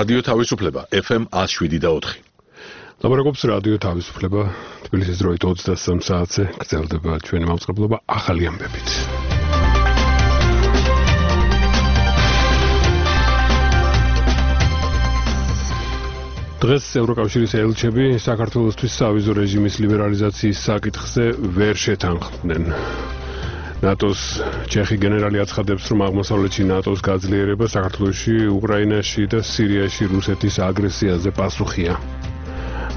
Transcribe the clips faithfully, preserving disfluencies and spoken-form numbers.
რადიო თავისუფლება ეფ ემ one oh seven და four. ლაბორატორიის რადიო თავისუფლება თბილისის დროით ოცდასამ საათზე გრძელდება ჩვენი მაუწყებლობა ახალი ამბებით. დღეს ევროკავშირის ელჩები საქართველოსთვის სავიზო რეჟიმის ლიბერალიზაციის საკითხზე ვერ შეთანხმდნენ. ნატოს ჩეხი გენერალი აცხადებს, რომ აღმოსავლეთში ნატოს გაძლიერება საქართველოში, უკრაინაში და სირიაში რუსეთის აგრესიაზე პასუხია.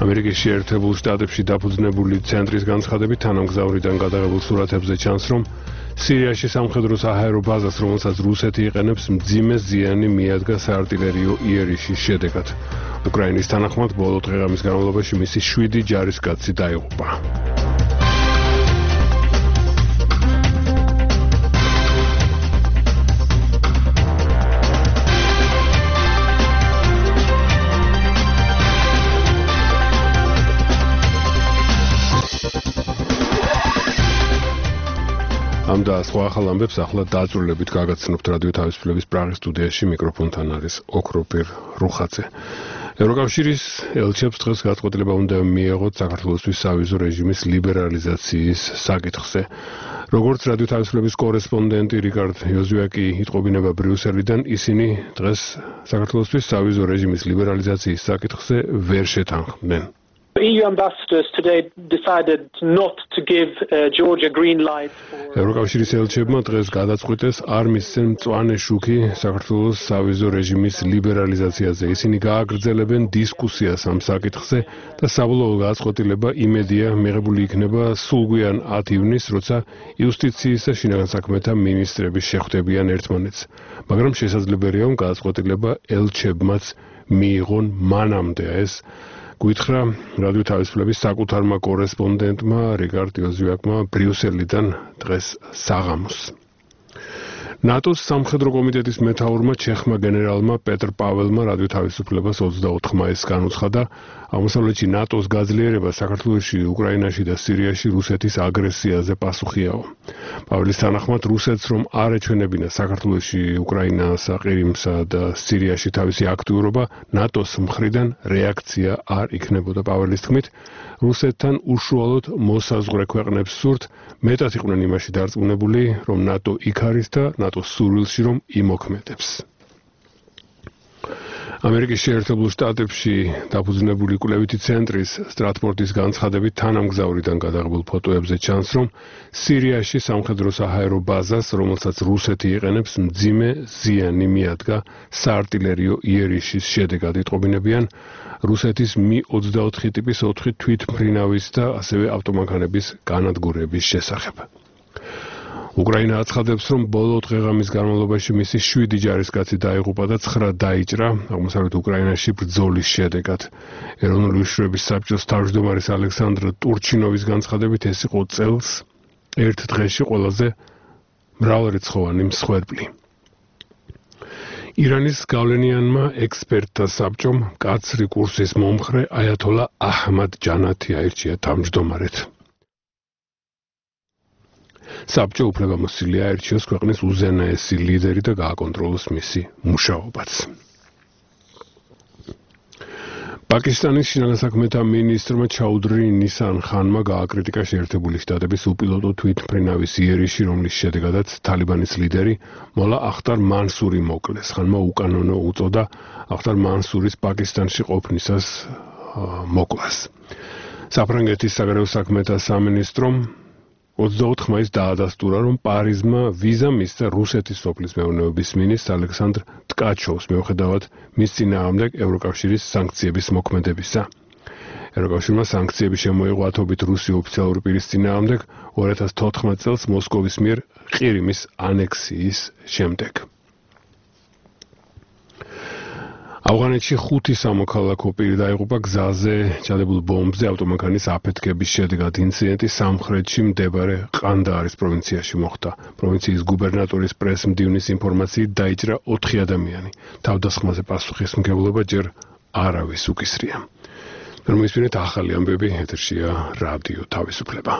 ამერიკის შეერთებულ შტატებში დაფუძნებული ცენტრის განცხადებით თანამგზავრიდან გადაღებულ სურათებზე ჩანს, რომ სირიაში სამხედრო საჰაერო ბაზას, რომელსაც რუსეთი იყენებს, მძიმე ზიანი მიადგა საარტილერიო იერიშის შედეგად. უკრაინის თანახმად ბოლო დღეღამის განმავლობაში მისი შვიდი ჯარისკაცი დაიღუპა. ამ და სხვა ახალ ამბებს ახლა დაწვრილებით გაგაცნობთ რადიო თავისუფლების პრაღის სტუდიაში მიკროფონთან არის ოქროპირ რუხაძე. ევროკავშირის ელჩებს დღეს გადაწყვეტილება უნდა მიეღოთ საქართველოსთვის სავიზო რეჟიმის ლიბერალიზაციის საკითხზე. როგორც რადიო თავისუფლების კორესპონდენტი რიკარდ იოზვიაკი იტყობინება ბრიუსელიდან, ისინი დღეს საქართველოსთვის სავიზო რეჟიმის ლიბერალიზაციის საკითხზე ვერ შეთანხმდნენ. E U ambassadors today decided not to give uh, Georgia green light for ევროკავშირის ელჩებმა დღეს გადაწყვიტეს არ მისცენ მწვანე შუქი საქართველოს სავიზო რეჟიმის ლიბერალიზაციაზე. ისინი გააგრძელებენ დისკუსიას ამ საკითხზე და საბოლოო გადაწყვეტილება იმედია მიღებული იქნება სულგვიან ათი ივნისს, როცა იუსტიციის და შინაგან საქმეთა მინისტრები შეხვდებიან ერთმანეთს. მაგრამ შესაძლებელია, რომ გადაწყვეტილება ელჩებმაც მიიღონ მანამდე ეს გითხრა რადიო თავისუფლების საკუთარმა კორესპონდენტმა რიკარდ იოზვიაკმა ბრიუსელიდან დღეს საღამოს. ნატოს სამხედრო კომიტეტის მეთაურმა ჩეხმა გენერალმა პეტრ პაველმა რადიო თავისუფლებას ოცდაოთხ მაისს განუცხადა, აღმოსავლეთში ნატოს გაძლიერება საქართველოში, უკრაინაში და სირიაში რუსეთის აგრესიაზე პასუხიაო. პაველის თანახმად რუსეთს რომ არ ეჩვენებინა საქართველოში, უკრაინასა, ყირიმსა და სირიაში თავისი აქტიურობა, ნატოს მხრიდან რეაქცია არ იქნებოდა. პაველის თქმით, რუსეთთან უშუალოდ მოსაზღვრე ქვეყნებს სურთ, მეტად იყვნენ იმაში დარწმუნებული, რომ ნატო იქ არის და ნატოს სურვილში რომ იმოქმედებს. ამერიკის შეერთებულ შტატებში დაფუძნებული კვლევითი ცენტრის სტრატფორდის განცხადებით თანამგზავრიდან გადაღებულ ფოტოებზე ჩანს, რომ სირიაში სამხედრო საჰაერო ბაზას, რომელსაც რუსეთი იყენებს, მძიმე ზიანი მიადგა საარტილერიო იერიშის შედეგად. იტყობინებიან რუსეთის მი ოცდაოთხი ტიპის ოთხი თვითმფრინავის და ასევე ავტომანქანების განადგურების შესახებ. უკრაინა აცხადებს, რომ ბოლო დღეღამის განმავლობაში მისი შვიდი ჯარისკაცი დაიღუპა და ცხრა დაიჭრა აღმოსავლეთ უკრაინაში ბრძოლის შედეგად. ეროვნული უშიშროების საბჭოს თავმჯდომარის ალექსანდრ ტურჩინოვის განცხადებით, ეს იყო წელს ერთ დღეში ყველაზე მრავალრიცხოვანი მსხვერპლი. ირანის გავლენიანმა ექსპერტთა საბჭომ კაცრი კურსის მომხრე აიათოლა აჰმად ჯანათი აირჩია თავმჯდომარედ. საბჭო უფლებამოსილია აირჩიოს ქვეყნის უზენაესი ლიდერი და გააკონტროლოს მისი მუშაობაც. პაკისტანის შინაგან საქმეთა მინისტრმა ჩაუდრი ნისან ხანმა გააკრიტიკა შეერთებული შტატების უპილოტო თვითმფრინავის იერიში, რომლის შედეგადაც თალიბანის ლიდერი მოლა ახტარ მანსური მოკლეს. ხანმა უკანონო უწოდა ახტარ მანსურის პაკისტანში ყოფნისას მოკლას. საფრანგეთის საგარეო საქმეთა სამინისტრომ ოცდაოთხ მაისს დაადასტურა, რომ პარიზმა ვიზა მისცა რუსეთის სოფლის მეურნეობის მინისტრ ალექსანდრ ტკაჩოვს, მიუხედავად მის წინააღმდეგ ევროკავშირის სანქციების მოქმედებისა. ევროკავშირმა სანქციები შემოიღო ათობით რუსი ოფიციალური პირის წინააღმდეგ ორი ათას თოთხმეტ წელს მოსკოვის მიერ ყირიმის ანექსიის შემდეგ. ავღანეთში ხუთი სამოქალაქო პირი დაიღუპა გზაზე ჩადებულ ბომბზე ავტომანქანის აფეთქების შედეგად. ინციდენტი სამხრეთში მდებარე ყანდაარის პროვინციაში მოხდა. პროვინციის გუბერნატორის პრეს-მდივნის ინფორმაციით დაიჭრა ოთხი ადამიანი. თავდასხმაზე პასუხისმგებლობა ჯერ არავის უკისრია. რომ ისმინეთ ახალი ამბები, ეთერშია რადიო თავისუფლება.